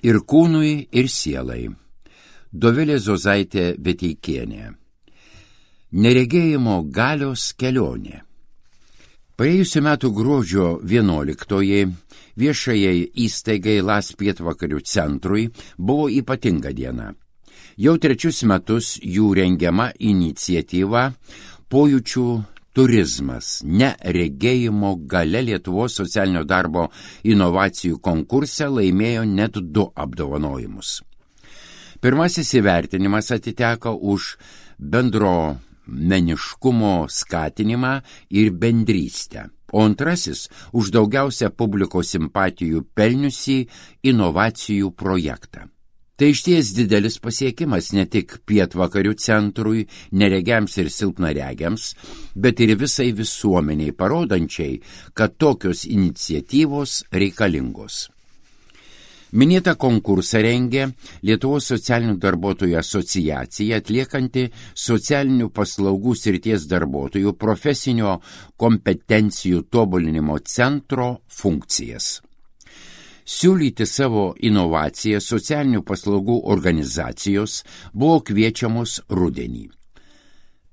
Ir kūnui, ir sielai. Dovilė Zozaitė Veteikienė. Neregėjimo galios kelionė. Praėjusiu metu gruodžio 11-oji viešajai įstaigai LAS Pietvakarių centrui buvo ypatinga diena. Jau 3 metus jų rengiama iniciatyva Pojūčių turizmas, neregėjimo galia Lietuvos socialinio darbo inovacijų konkurse laimėjo net 2 apdovanojimus. Pirmasis įvertinimas atiteko už bendruomeniškumo skatinimą ir bendrystę, o antrasis už daugiausia publikos simpatijų pelniusį inovacijų projektą. Tai išties didelis pasiekimas ne tik Pietvakarių centrui, neregiams ir silpnaregiams, bet ir visai visuomeniai parodančiai, kad tokios iniciatyvos reikalingos. Minėtą konkursą rengė Lietuvos socialinių darbuotojų asociacija atliekanti socialinių paslaugų srities darbuotojų profesinio kompetencijų tobulinimo centro funkcijas. Siūlyti savo inovaciją socialinių paslaugų organizacijos buvo kviečiamos rudenį.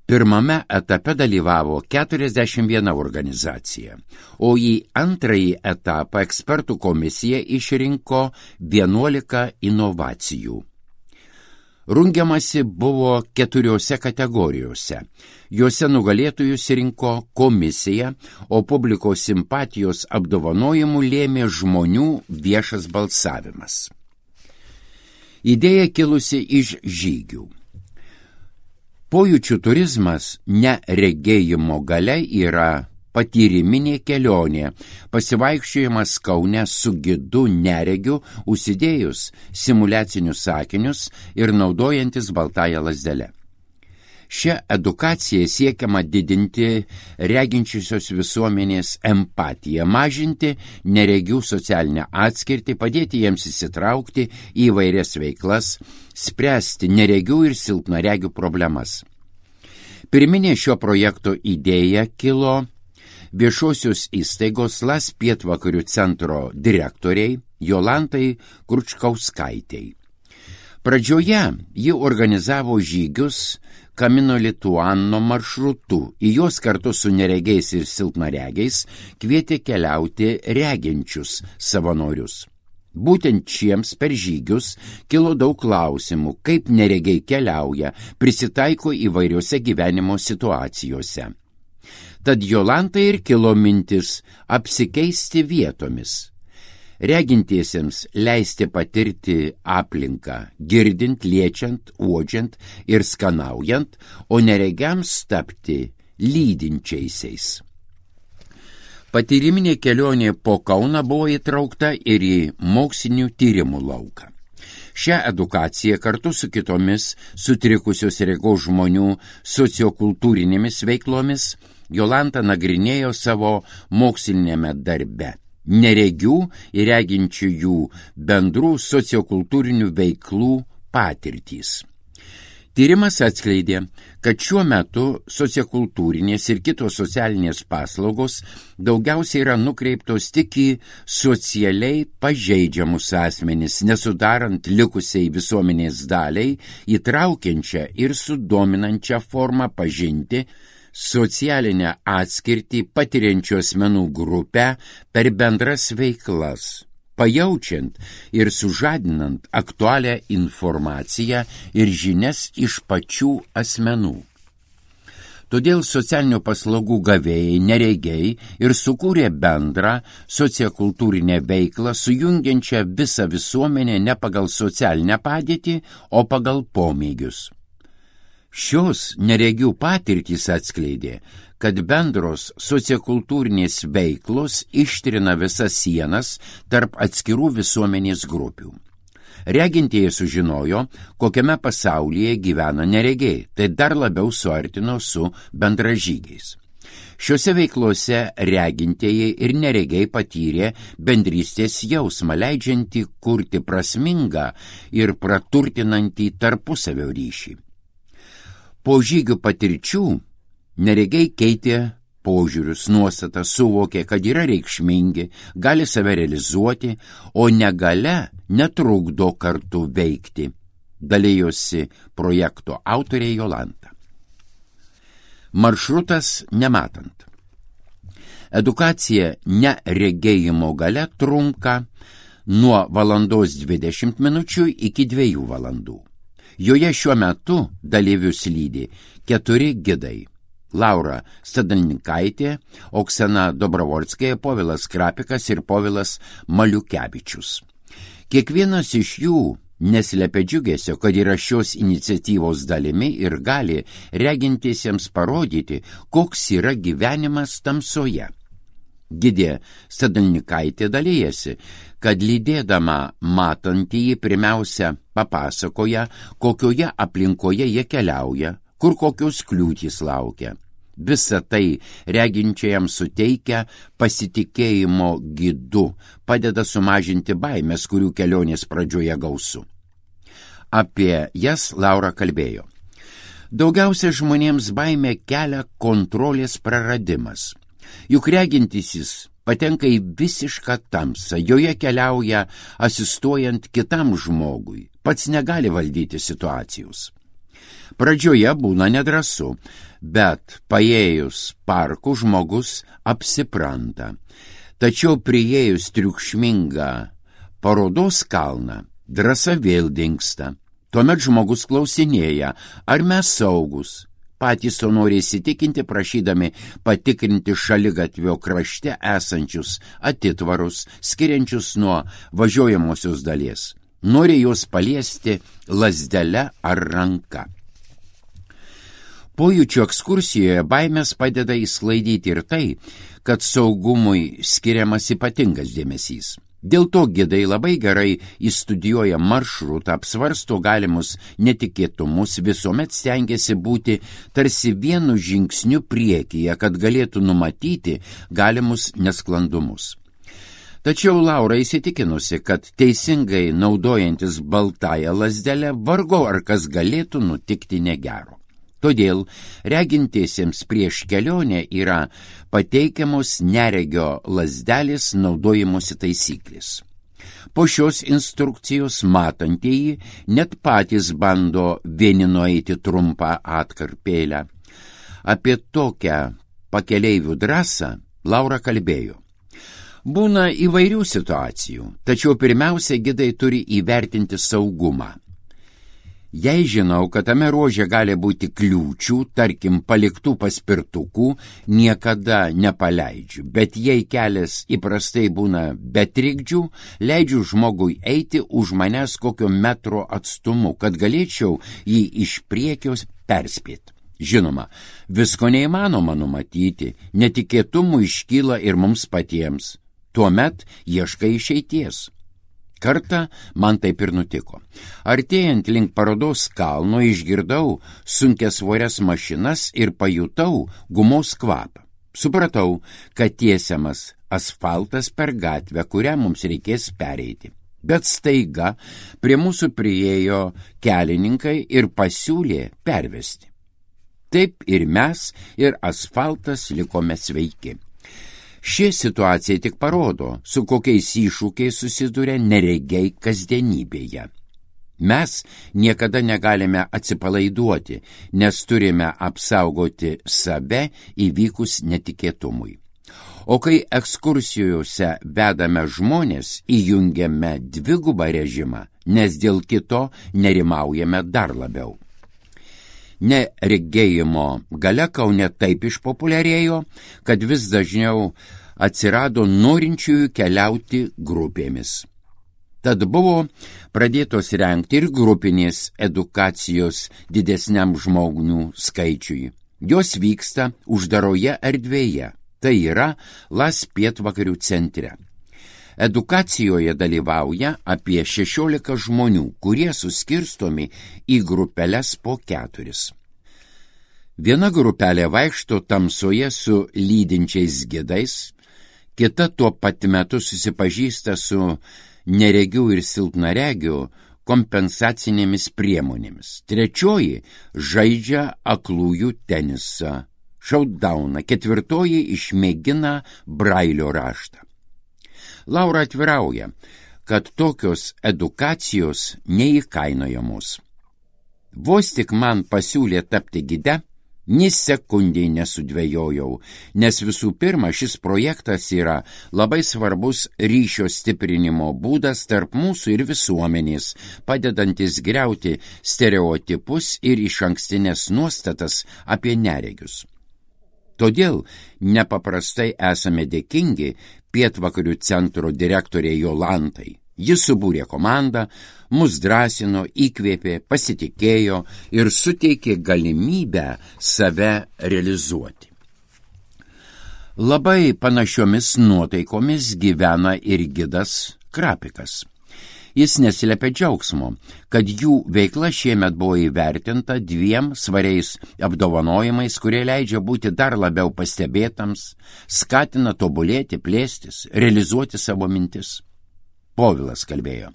Pirmame etape dalyvavo 41 organizacija, o į antrąjį etapą ekspertų komisija išrinko 11 inovacijų. Rungiamasi buvo 4 kategorijose. Juose nugalėtojus rinko komisija, o publikos simpatijos apdovanojimų lėmė žmonių viešas balsavimas. Idėja kilusi iš žygių. Pojūčių turizmas neregėjimo galia yra patyriminė kelionė, pasivaikščiojimas Kaune su gidu neregiu, užsidėjus simuliacinius sakinius ir naudojantis baltąją lazdelę. Šia edukacija siekiama didinti reginčiosios visuomenės empatiją, mažinti neregių socialinę atskirtį, padėti jiems įsitraukti į įvairias veiklas, spręsti neregių ir silpnaregių problemas. Pirminė šio projekto idėja kilo viešosios įstaigos LAS Pietvakarių centro direktoriai Jolantai Kručkauskaitei. Pradžioje ji organizavo žygius Camino Lituano maršrutu, į juos kartu su neregiais ir silpnaregiais kvietė keliauti reginčius savanorius. Būtent šiems per žygius kilo daug klausimų, kaip neregiai keliauja, prisitaiko įvairiose gyvenimo situacijose. Tad Jolantai ir kilo mintis apsikeisti vietomis. Regintiesiems leisti patirti aplinką, girdint, liečiant, uodžiant ir skanaujant, o neregiams tapti lydinčiaisiais. Patyriminė kelionė po Kauną buvo įtraukta ir į mokslinių tyrimų lauką. Šią edukaciją kartu su kitomis sutrikusios regos žmonių sociokultūrinėmis veiklomis Jolanta nagrinėjo savo mokslinėme darbe. Neregių ir reginčiųjų bendrų sociokultūrinių veiklų patirtys. Tyrimas atskleidė, kad šiuo metu sociokultūrinės ir kitos socialinės paslaugos daugiausiai yra nukreiptos tik į socialiai pažeidžiamus asmenis, nesudarant likusiai visuomenės daliai įtraukiančią ir sudominančią formą pažinti socialinę atskirtį patiriančių asmenų grupę per bendras veiklas, pajaučiant ir sužadinant aktualią informaciją ir žinias iš pačių asmenų. Todėl socialinių paslaugų gavėjai neregiai ir sukūrė bendrą sociokultūrinę veiklą, sujungiančią visą visuomenę ne pagal socialinę padėtį, o pagal pomėgius. Šios neregių patirtys atskleidė, kad bendros sociokultūrinės veiklos ištrina visas sienas tarp atskirų visuomenės grupių. Regintieji sužinojo, kokiame pasaulyje gyvena neregiai, tai dar labiau suartino su bendražygiais. Šiuose veiklose regintieji ir neregiai patyrė bendrystės jausmą, leidžiantį kurti prasmingą ir praturtinantį tarpusavio ryšį. Po žygių patirčių neregiai keitė požiūrius, nuostatas, suvokė, kad yra reikšmingi, gali save realizuoti, o negalia netrukdo kartu veikti, dalėjosi projekto autorė Jolanta. Maršrutas nematant. Edukacija neregėjimo galia trunka nuo 1:20 min. Iki 2 valandų. Joje šiuo metu dalyvius lydi 4 gidai. Laura Stadalnikaitė, Oksana Dobrovolskė, Povilas Krapikas ir Povilas Maliukevičius. Kiekvienas iš jų neslepia džiugesio, kad yra šios iniciatyvos dalimi ir gali regintiesiems parodyti, koks yra gyvenimas tamsoje. Gidė Stadalnikaitė dalyjasi, kad lydėdama matantįjį pirmiausia papasakoja, kokioje aplinkoje jie keliauja, kur kokios kliūtys laukia. Visa tai reginčiajam suteikia pasitikėjimo gidu, padeda sumažinti baimės, kurių kelionės pradžioje gausu. Apie jas Laura kalbėjo. Daugiausia žmonėms baimė kelia kontrolės praradimas. Juk regintysis patenka į visišką tamsą, joje keliauja asistuojant kitam žmogui, pats negali valdyti situacijos. Pradžioje būna nedrąsu, bet paėjus parku žmogus apsipranta. Tačiau priėjus triukšmingą parodos kalną, drąsa vėl dingsta. Tuomet žmogus klausinėja, ar mes saugus. Patys to nori įsitikinti, prašydami patikrinti šaligatvio krašte esančius atitvarus, skiriančius nuo važiuojamosios dalies. Nori juos paliesti lazdele ar ranka. Pojūčių ekskursijoje baimės padeda įsklaidyti ir tai, kad saugumui skiriamas ypatingas dėmesys. Dėl to gidai labai gerai įstudijuoja maršrutą, apsvarsto galimus netikėtumus, visuomet stengiasi būti tarsi vienu žingsniu priekyje, kad galėtų numatyti galimus nesklandumus. Tačiau Laura įsitikinusi, kad teisingai naudojantis baltąją lazdelę vargu ar kas galėtų nutikti negero. Todėl regintiesiems prieš kelionę yra pateikiamos neregio lazdelės naudojimosi taisyklės. Po šios instrukcijos matantieji net patys bando vieni nueiti trumpą atkarpėlę. Apie tokią pakeleivių drąsą Laura kalbėjo. Būna įvairių situacijų, tačiau pirmiausia gidai turi įvertinti saugumą. Jei žinau, kad tame ruože gali būti kliūčių, tarkim paliktų paspirtukų, niekada nepaleidžiu, bet jei kelias įprastai būna be trikdžių, leidžiu žmogui eiti už manęs kokio metro atstumu, kad galėčiau jį iš priekios perspėti. Žinoma, visko neįmanoma numatyti, netikėtumų iškyla ir mums patiems. Tuomet ieškai išeities. Kartą man taip ir nutiko. Artėjant link parodos kalno išgirdau sunkiasvorias mašinas ir pajutau gumos kvapą. Supratau, kad tiesiamas asfaltas per gatvę, kurią mums reikės pereiti. Bet staiga prie mūsų priėjo kelininkai ir pasiūlė pervesti. Taip ir mes, ir asfaltas likome sveiki. Ši situacija tik parodo, su kokiais iššūkiais susiduria neregiai kasdienybėje. Mes niekada negalime atsipalaiduoti, nes turime apsaugoti save įvykus netikėtumui. O kai ekskursijose vedame žmonės, įjungiame dvigubą režimą, nes dėl kito nerimaujame dar labiau. Neregėjimo galia Kaune taip išpopuliarėjo, kad vis dažniau atsirado norinčiųjų keliauti grupėmis. Tad buvo pradėtos rengti ir grupinės edukacijos didesniam žmonių skaičiui. Jos vyksta uždaroje erdvėje, tai yra Las pietvakarių centre. Edukacijoje dalyvauja apie 16 žmonių, kurie suskirstomi į grupeles po 4. Viena grupelė vaikšto tamsoje su lydinčiais gidais, kita tuo pat metu susipažįsta su neregių ir silpnaregių kompensacinėmis priemonėmis. Trečioji žaidžia aklųjų tenisą. Šautdauną, 4 išmėgina Brailio raštą. Laura atvirauja, kad tokios edukacijos neįkainojamos. Vos tik man pasiūlė tapti gide, nė sekundei nesudvejojau, nes visų pirma šis projektas yra labai svarbus ryšio stiprinimo būdas tarp mūsų ir visuomenės, padedantis griauti stereotipus ir išankstinės nuostatas apie neregius. Todėl nepaprastai esame dėkingi Pietvakarių centro direktorė Jolantai. Jis subūrė komandą, mus drąsino, įkvėpė, pasitikėjo ir suteikė galimybę save realizuoti. Labai panašiomis nuotaikomis gyvena ir gidas Krapikas. Jis neslėpė džiaugsmo, kad jų veikla šiemet buvo įvertinta 2 svariais apdovanojimais, kurie leidžia būti dar labiau pastebėtams, skatina tobulėti, plėstis, realizuoti savo mintis. Povilas kalbėjo.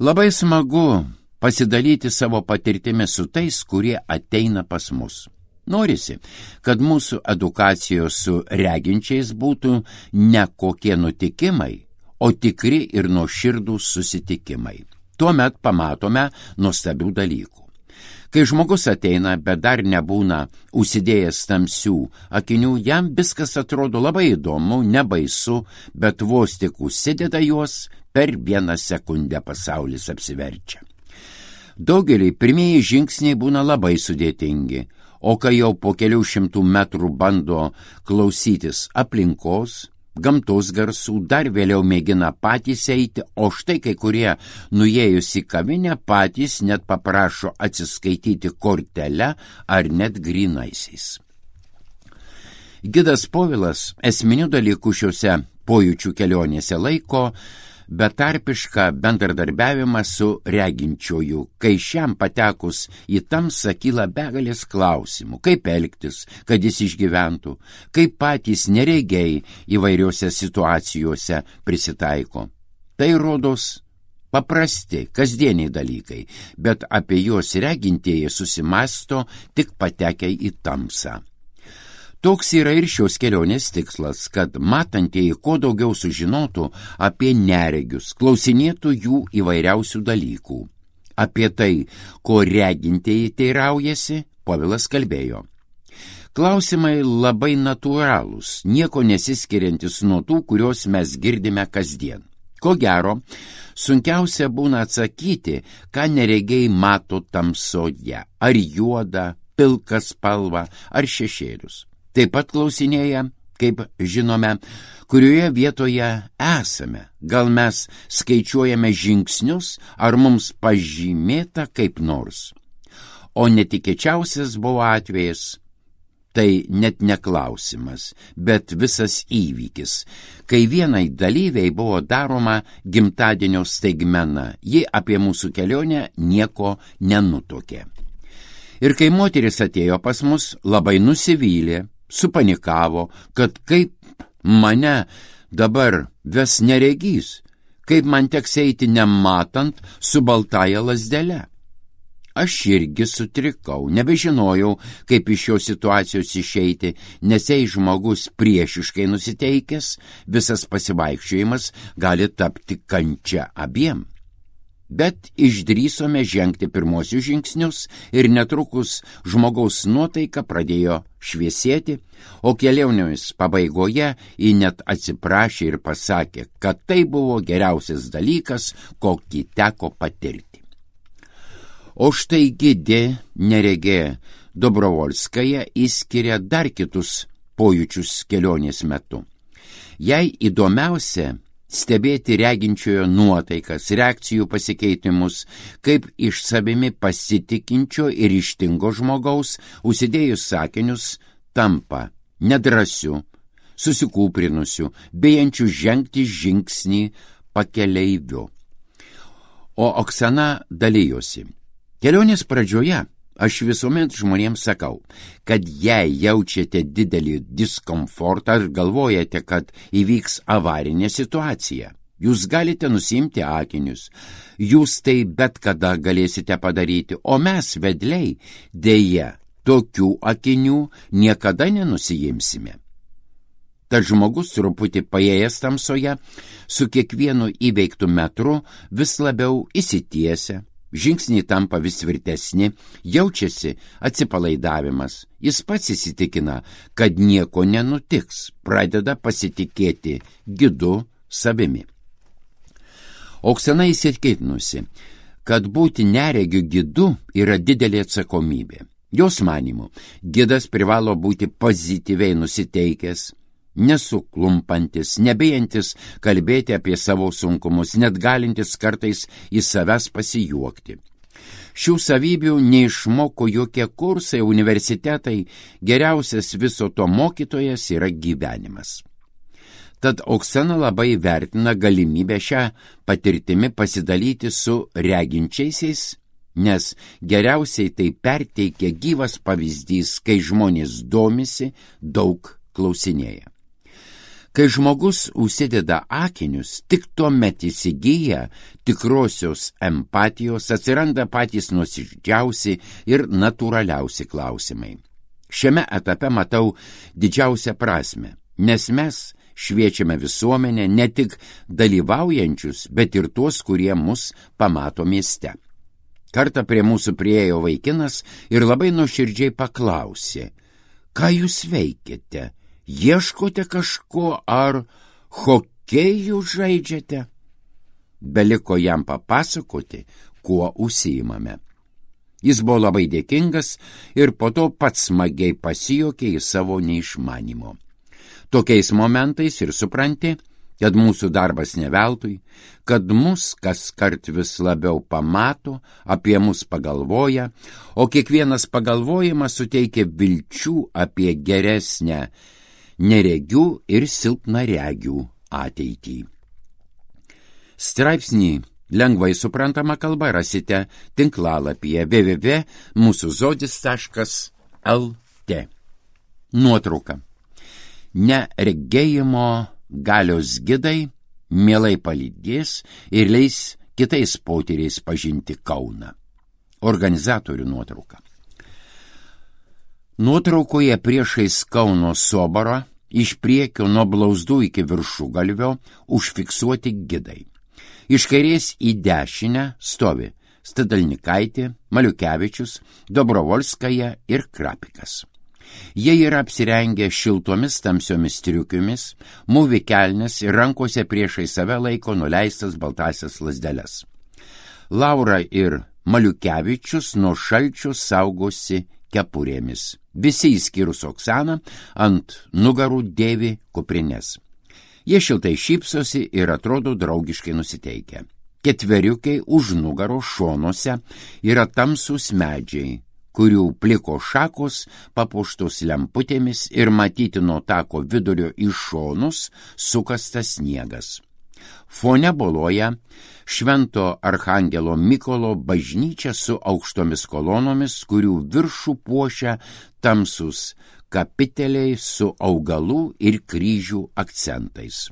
Labai smagu pasidalyti savo patirtimi su tais, kurie ateina pas mus. Norisi, kad mūsų edukacijos su reginčiais būtų ne kokie nutikimai, o tikri ir nuoširdūs susitikimai. Tuomet pamatome nuostabių dalykų. Kai žmogus ateina, bet dar nebūna užsidėjęs tamsių akinių, jam viskas atrodo labai įdomu, nebaisu, bet vos tik užsideda juos, per 1 sekundę pasaulis apsiverčia. Daugeliui pirmieji žingsniai būna labai sudėtingi, o kai jau po kelių 100 metrų bando klausytis aplinkos, gamtos garsų, dar vėliau mėgina patys eiti, o štai kai kurie nuėjus į kavinę patys net paprašo atsiskaityti kortele ar net grynaisiais. Gidas Povilas esminių dalykų šiuose pojūčių kelionėse laiko betarpišką bendradarbiavimą su reginčiuoju, kai šiam patekus į tamsą kyla begalės klausimų, kaip elgtis, kad jis išgyventų, kaip patys neregiai įvairiose situacijose prisitaiko. Tai rodos paprasti, kasdieniai dalykai, bet apie juos regintieji susimąsto tik patekę į tamsą. Toks yra ir šios kelionės tikslas, kad matantieji kuo daugiau sužinotų apie neregius, klausinėtų jų įvairiausių dalykų. Apie tai, ko regintieji teiraujasi, Povilas kalbėjo. Klausimai labai natūralūs, nieko nesiskiriantis nuo tų, kuriuos mes girdime kasdien. Ko gero, sunkiausia būna atsakyti, ką neregiai mato tamsoje, ar juodą, pilką spalvą, ar šešėlius. Taip pat klausinėja, kaip žinome, kurioje vietoje esame. Gal mes skaičiuojame žingsnius, ar mums pažymėta kaip nors. O netikėčiausias buvo atvejas, tai net neklausimas, bet visas įvykis, kai vienai dalyviai buvo daroma gimtadienio staigmena, ji apie mūsų kelionę nieko nenutokė. Ir kai moteris atėjo pas mus, labai nusivylė, supanikavo, kad kaip mane dabar ves neregys, kaip man teks eiti nematant su baltaja lazdele. Aš irgi sutrikau, nebežinojau, kaip iš šios situacijos išeiti, nes jei žmogus priešiškai nusiteikęs, visas pasivaikščiojimas gali tapti kančia abiem. Bet išdrįsome žengti pirmosius žingsnius ir netrukus žmogaus nuotaika pradėjo šviesėti, o kelionės pabaigoje ji net atsiprašė ir pasakė, kad tai buvo geriausias dalykas, kokį teko patirti. O štai gidė neregė Dobrovolskaja įskiria dar kitus pojūčius kelionės metu. Jai įdomiausia stebėti reginčiojo nuotaikas, reakcijų pasikeitimus, kaip iš savimi pasitikinčio ir ryžtingo žmogaus, užsidėjus sakinius, tampa nedrąsiu, susikūprinusiu, bijančiu žengti žingsnį pakeleiviu. O Oksana dalijosi. Kelionės pradžioje aš visuomet žmonėms sakau, kad jei jaučiate didelį diskomfortą ir galvojate, kad įvyks avarinė situacija, jūs galite nusimti akinius, jūs tai bet kada galėsite padaryti, o mes vedliai dėja tokių akinių niekada nenusijimsime. Tad žmogus truputį paėjęs tamsoje, su kiekvienu įveiktų metru vis labiau įsitiesia, žingsniai tampa vis tvirtesni, jaučiasi atsipalaidavimas, jis pats įsitikina, kad nieko nenutiks, pradeda pasitikėti gidu savimi. Oksana įsitikinusi, kad būti neregiu gidu yra didelė atsakomybė. Jos manymu, gidas privalo būti pozityviai nusiteikęs, nesuklumpantis, nebijantis kalbėti apie savo sunkumus, net galintis kartais į savęs pasijuokti. Šių savybių neišmoko jokie kursai, universitetai, geriausias viso to mokytojas yra gyvenimas. Tad Oksana labai vertina galimybę šią patirtimi pasidalyti su reginčiaisiais, nes geriausiai tai perteikia gyvas pavyzdys, kai žmonės domisi, daug klausinėja. Kai žmogus užsideda akinius, tik tuomet įsigyja tikrosios empatijos, atsiranda patys nuoširdžiausi ir natūraliausi klausimai. Šiame etape matau didžiausią prasmę, nes mes šviečiame visuomenę ne tik dalyvaujančius, bet ir tuos, kurie mus pamato mieste. Kartą prie mūsų priėjo vaikinas ir labai nuoširdžiai paklausė, ką jūs veikiate? Ieškote kažko ar hokėjų žaidžiate? Beliko jam papasakoti, kuo užsiimame. Jis buvo labai dėkingas ir po to pats smagiai pasijuokė į savo neišmanimo. Tokiais momentais ir supranti, kad mūsų darbas ne veltui, kad mus kaskart vis labiau pamato, apie mus pagalvoja, o kiekvienas pagalvojimas suteikia vilčių apie geresnę neregių ir silpnaregių ateitį. Straipsnį lengvai suprantama kalba rasite tinklalapyje www.musuzodis.lt. Nuotrauka. Neregėjimo galios gidai mielai palydės ir leis kitais potyriais pažinti Kauną. Organizatorių nuotrauka. Nuotraukoje priešais Kauno soborą iš priekio nuo blauzdų iki viršugalvio užfiksuoti gidai. Iš kairės į dešinę stovi Stadalnikaitė, Maliukevičius, Dobrovolskaja ir Krapikas. Jie yra apsirengę šiltomis tamsiomis striukėmis, mūvi kelnes ir rankose priešai save laiko nuleistas baltasias lazdeles. Laura ir Maliukevičius nuo šalčio saugosi kepurėmis. Visi įskyrus Oksaną ant nugarų dėvi kuprines. Jie šiltai šypsosi ir atrodo draugiškai nusiteikę. Ketveriukai už nugaro šonuose yra tamsūs medžiai, kurių pliko šakos papuoštos lemputėmis ir matyti nuo tako vidurio į šonus sukastas sniegas. Fone boloja Švento Archangelo Mykolo bažnyčia su aukštomis kolonomis, kurių viršų puošia tamsūs kapiteliai su augalų ir kryžių akcentais.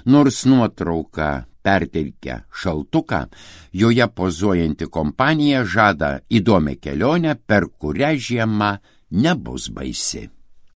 Nors nuotrauka perteikia šaltuką, joje pozuojanti kompanija žada įdomią kelionę, per kurią žiema nebus baisi.